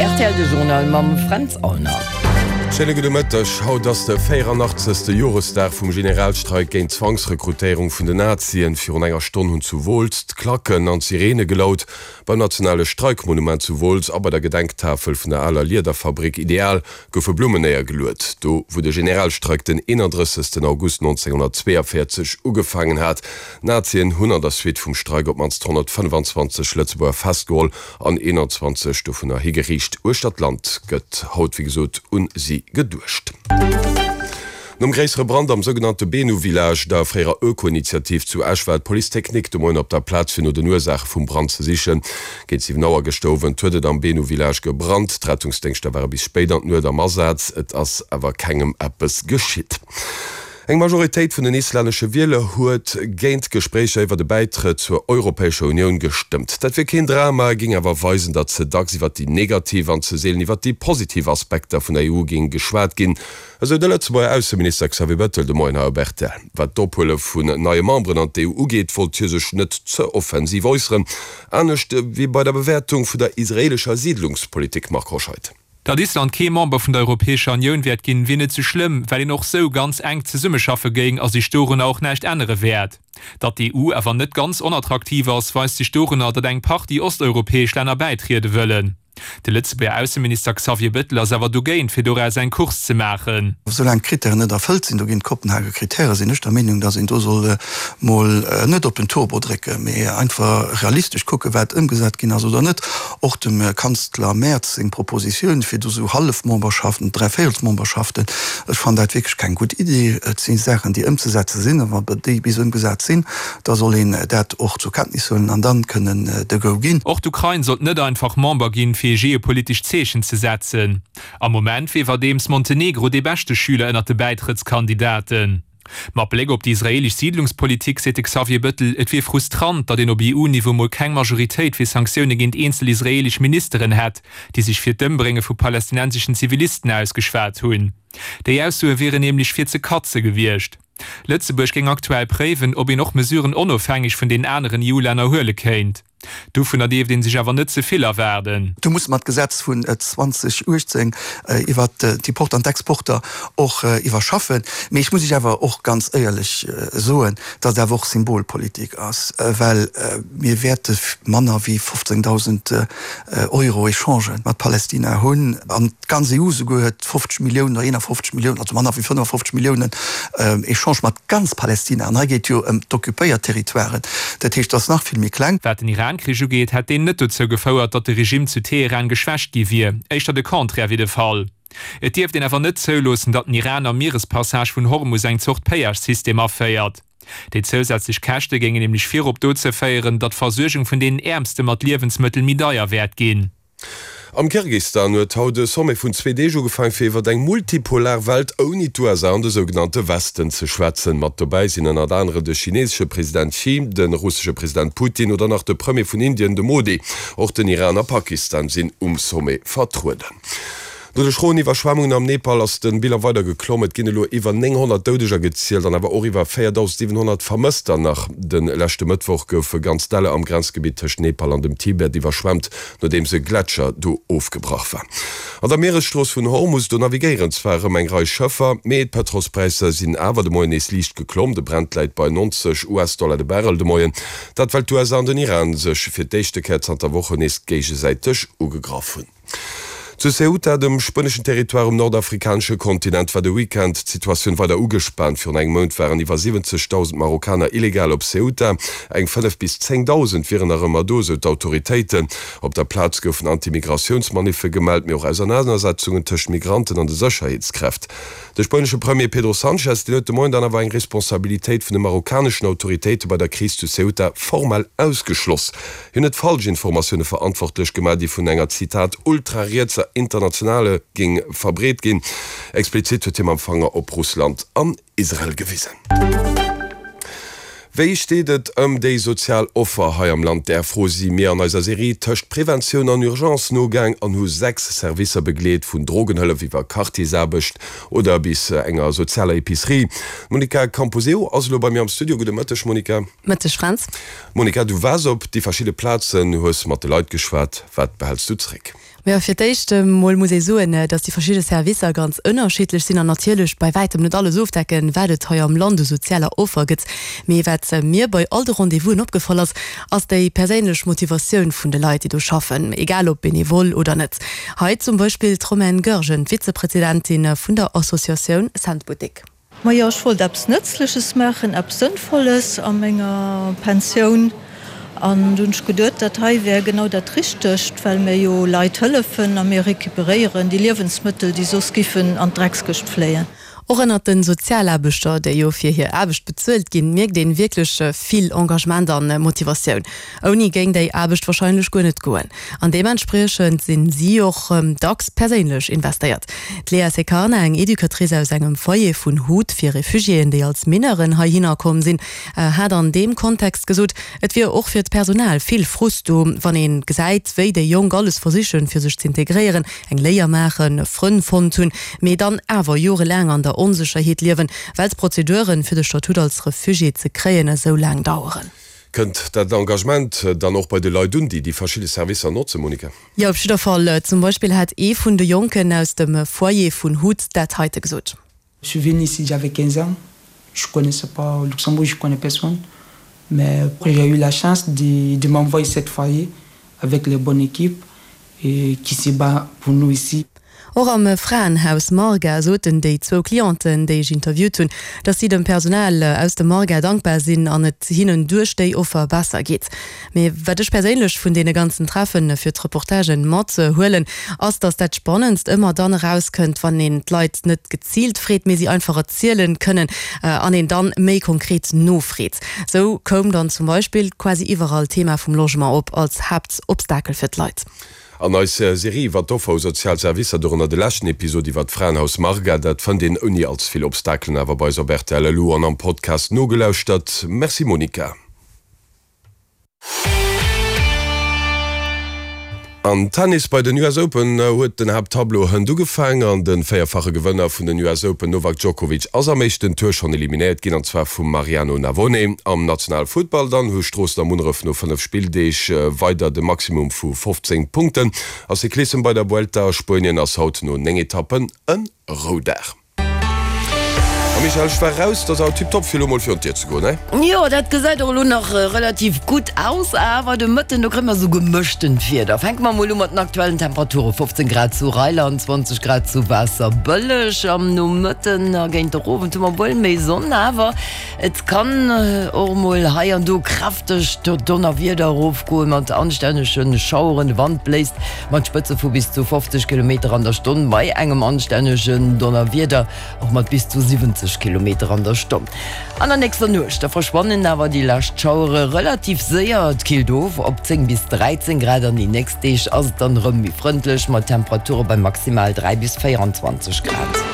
Rtl de Journal mam Fränz Aulner. Schéine gudde Mëtteg. Haut ass de 84. Joresdag vum Generalstreik géint d'Zwangsrekrutéierung vun den Nazien. Virun enger Stonn hunn zu Wooltz d'Klacken an d'Sirene gelaut. Beim nationale Streikmonument zu Wooltz a bei der Gedenktafel vun der aler Liederfabrik Ideal goufe Blummen néiergeluet, do wou de Generalstreik den 31. August 1942 ugefaangen hat. D'Nazien hunn an der Suite vum Streik op d'mannst 125 Lëtzebuerger festgeholl an 21 dovunner higeriicht. Uechter d'Land gëtt haut wéi gesot un si geduecht. Nom gréissere Brand am sougenannte Benu Village, der fréierer Öko-Initiativ zu Esch, war d'Police technique de Moien op der Plaz fir no den Ursaache vum Brand ze sichen. Géint 7 Auer gëschter Owend huet et am Benu Village gebrannt. D'Rettungsdéngschter ware bis spéit an d'Nuet am Asaz, et ass awer kengem eppes geschitt. Eng Majoritéit vun den islännesche Wieler huet géint d'Gespréicher iwwer e Bäitrëtt zur Europäescher Unioun gestëmmt. Dat wier keen Drama, géing awer weisen, datt ze dacks iwwer déi negativ an ze seelen iwwer déi positiv Aspekter vun der EU géing geschwat ginn, esou de Lëtzebuerger Ausseminister Xavier Bettel de Moien hei op rtl. Wat d'Ophuele vun neie Memberen an d'EU ugeet, wollt hie sech net ze offensiv äusseren, anescht wéi bei der Bewäertung vun der israeelescher Siidlungspolitik. Marc Hoscheid. Datt Island kee Member vun der Europäescher Unioun wäert ginn, wier net sou schlëmm, well een och sou ganz enk zesummeschaffe géing a sech dorunner och näischt ännere wäert. Datt d'EU awer net ganz onattraktiv ass, weist sech dorunner, datt eng Partie osteuropäesch Länner bäitriede wëllen. De Lëtzebuerger Ausseminister Xavier Bettel ass awer dogéint, fir doraus eng Course ze maachen. Soulaang d'Krittären net erfëllt sinn, do ginn d'Kopenhager Krittäre, sinn ech der Meenung, datt een do soll mol net op den Turbo drécken, mee einfach realistesch kucken, wat ëmgesat ginn ass oder net. Och dem Kanzler Merz seng Propositioun fir do sou Hallefmemberschaften, Dräivéierelsmemberschaften, ech fannen dat wierklech keng gutt Iddi. Et si Saachen, déi ëmzesetze sinn, a wa déi bis ëmgesat sinn, da soll een dat och zur Kenntnis huelen an dann kënnen de Go ginn. Och d'Ukrain sollt net einfach Member ginn, fir ee geopolitescht Zeechen ze setzen. Am Moment wier iwwerdeems Montenegro dee beschte Schüler ënnert de Bäitrëttskandidaten. Mat Bléck op déi israeelesch Siidlungspolitik seet de Xavier Bettel, et wier frustrant, datt een op EU-Niveau mol keng Majoritéit fir Sanktioune géint eenzel israeelesch Ministeren hätt, déi sech fir d'Ëmbrénge vu palästinenseschen Zivilisten ausgeschwat hunn. Déi Aussoe wieren nämlech fir ze katze gewiescht. Lëtzebuerg géing aktuell préiwen, ob een och Mesuren onofhängeg vun den aneren EU-Länner huele kéint. Dovunner dierft ee sech awer net ze vill erwaarden. Do musse mer d'Gesetz vun 2018 iwwert d'Importer an d'Exporter och iwwerschaffen. Mee ech muss Iech awer och ganz éierlech soen, datt et awer och Symbolpolitik ass, well mir wäerte manner wéi 15.000 Euro Echangen mat Palästina hunn. An d'ganz EU souguer huet 50 Milliounen oder 51 Milliounen, also manner wéi 55 Milliounen Echange mat ganz Palästina. An hei geet et jo ëm d'occupéiert Territoiren, dat heescht, dat ass nach vill méi kleng. Wat den Iran-Krich ugeet, hätt deen net dozou gefouert, datt de Regime zu Teheran geschwächt gi wier. Éischter de Contraire wier de Fall. Et dierft een awer net zouloossen, datt den Iran am Mierespassage vun Hormus eng Zort Péage-System aféiert. Déi zousätzlech Käschte géingen nämlech virop dozou féieren, datt d'Versuergung vun deenen Äermste mat Liewensmëttel méi deier wäert ginn. Am Kirgistan huet haut e Sommet vun zwee Deeg ugefaang, fir iwwer eng multipolar Welt ouni d'USA an de sougenannte Westen ze schwätzen. Mat dobäi sinn ënnert anere de chinesesche President Xi, de russesche President Putin oder nach de Premier vun Indien, de Modi. Och den Iran a Pakistan sinn um Sommet vertrueden. No de schroen Iwwerschwemmungen am Nepal ass de Bilan weider geklomm. Et ginn elo iwwer 900 Doudeger gezielt an awer och iwwer 4.700 Vermësster. Nach de leschte Mëttwoch goufe ganz Däller am Grenzgebitt tëscht Nepal an dem Tibet iwwerschwemmt, nodeems e Gletscher do ofgebrach war. An der Mieresstrooss vun Hormus, do navigéieren zwar erëm eng Rei Schëffer, mee d'Pëtrolspräisser sinn awer de Moien nees liicht geklomm. De Brent läit bei 90 US-Dollar de Barrel de Moien. Dat well d'USA an den Iran sech fir d'éischte Kéier zanter Wochen nees géigesäiteg ugegraff hunn. Zu Ceuta, dem spueneschen Territoire um nordafrikanesche Kontinent, war de Weekend d'Situatioun weider ugespaant. Virun engem Mount waren iwwer 70.000 Marokkaner illegal op Ceuta. Eng 5 bis 10.000 wieren nach ëmmer do, sou d'autoritéiten. Op der Plaz goufen Anti-Migratiouns-Maniffe gemellt, mee och Ausernanersetzungen tëscht Migranten an de Sécherheetskräft. De spuenesche Premier Pedro Sanchez, deen huet de Moien dann awer eng Responsabilitéit vun de marokkaneschen Autoritéite bei der Kris zu Ceuta formell ausgeschloss. Hien huet Falschinformatioune verantwortlech gemaach, déi vun enger, Zitat, ultrarietser Internationale géing verbreet ginn. Explizit huet hie mam Fanger op Russland an Israel gewisen. Wéi steet et ëm déi sozial Offer hei am Land? Där Fro si mir an eiser Serie Tëscht Preventioun an Urgence nogaang an hu 6 Servicer begleet, vun Drogenhëllef iwwer Quartiersaarbecht oder bis enger sozialer Epicerie. D'Monica Camposeo ass elo bei mir am Studio. Gudde Mëtteg, Monica. Mëtteg, Fränz. Monica, du waars op déi verschidde Plazen, hues mat de Leit geschwat. Wat behäls du zréck? Jo, fir d'éischt emol muss ee soen, dass déi verschidde Servicer ganz ënnerschiddlech sinn an natierlech bei wäitem net alles ofdecken, wat et hei am Land u sozialer Offer gëtt. Mee wat mir bei all de Rendez-vousen opgefall ass, ass déi perséinlech Motivatioun vun de Leit, déi do schaffen, egal ob benevol oder net. Hei zum Beispill d'Romaine Goergen, d'Vizepresidentin vun der Associatioun Cent Boutique. Majo, ech wollt eppes Nëtzleches maachen, eppes Sënnvolles a menger Pensioun. An du hunn ech geduet, dat hei wär genau dat Richtegt, well mir jo Leit hëllefen a mir recuperéieren déi Liewensmëttel, déi soss giffen an d'Dreckskëscht fléien. Och ënnert de Sozialaarbechter, déi jo fir hir Aarbecht bezuelt ginn, mierkt een wierklech vill Engagement an Motivatioun. Ouni géing déi Aarbecht warscheinlech guer net goen. An deementspriechend sinn si och dacks perséinlech investéiert. D'Léa Secarna, eng Educatrice aus engem Foyer vun Hut fir Refugiéen, déi als Mineuren heihinner komm sinn, hat an deem Kontext gesot, et wier och fir d'Personal vill Frust do, wann ee gesäit, wéi déi Jonk alles versichen, fir sech z'integréieren, eng Léier maachen, Frënn fonnt hunn, mee dann awer jorelaang an der Onsécherheet liewen, well d'Prozeduren, fir de Statut als Refugié ze kréien, esou laang daueren. Kënnt dat Engagement dann och bei de Leit un, déi déi verschidde Servicer notzen, Monica? Jo, op jidder Fall. Zum Beispill hat ee vun de Jonken aus dem Foyer vun Hut dat heite gesot. Je suis venu ici, j'avais 15 ans, je connaissais pas Luxembourg, je connais personne, mais j'ai eu la chance de de m'envoyer cette foyer avec les bonnes équipes et qui se bat pour nous ici. Och am Fraenhaus Marga soten déi zwou Clienten, déi ech interviewt hunn, dass si dem Personal aus dem Marga dankbar sinn an et hinnen duerch déi Offer besser geet. Mee wat ech perséinlech vun deene ganzen Treffen fir d'Reportagen mat huelen, ass, dass dat Spannendst ëmmer dann erauskënnt, wann een d'Leit net geziilt freet, mee si einfach erzielen kënnen an een dann méi konkret nofreet. Sou koum dann zum Beispill quasi iwwerall d'Thema vum Logement op als Haaptobstakel fir d'Leit. An eis Serie iwwer d'Offer u sozial Servicer, dorënner de leschten Episod iwwer d'Fraenhaus Marga, dat fënnt een ouni allze vill Obstakelen awer bei eis op rtl elo an am Podcast nogelauschtert. Merci Monica. Am Tennis bei den US Open huet den Haapttableau hënt ugefaang an de véierfache Gewënner vun den US Open Novak Djokovic ass am éischten Tour schonn eliminéiert ginn an zwar vum Mariano Navone. Am nationale Futtball dann hu Stroossen a Munneref no 5 Spilldeeg weider de Maximum vu 15 Punkten. A Cyclissem bei der Vuelta a Spuenien ass haut no 9 Etappen e Roudag. A Michèle, ech war raus, 't ass awer tiptop fir elo mol virun d'Dier ze goen, he? Jo, dat gesäit och elo nach relativ gutt aus, awer de Mëtten, do kréie mer esou gemëschtent Wieder. Fänke mer mol u mat den aktuellen Temperaturen, 15 Grad zu Reiland, 20 Grad zu Waasserbëlleg. Am Nomëtten a géint der Owend hu mer wuel méi Sonn, awer Et kann och mol hei an do kräftegt Donnerwieder erofgoen, mat anstännege Schaueren. De Wand bléist mat Spëtze vu bis zu 50 Kilometer an der Stonn, bei engem anstännegen Donnerwieder och mat bis zu 70 Kilometer an der Stonn. An der nächster Nuecht da verschwannen awer déi lescht Schauere relativ séier. Et killt of op 10 bis 13 Grad an déi nächst Deeg ass et dann erëm méi frëndlech mat Temperature bei maximal 3 bis 24 Grad.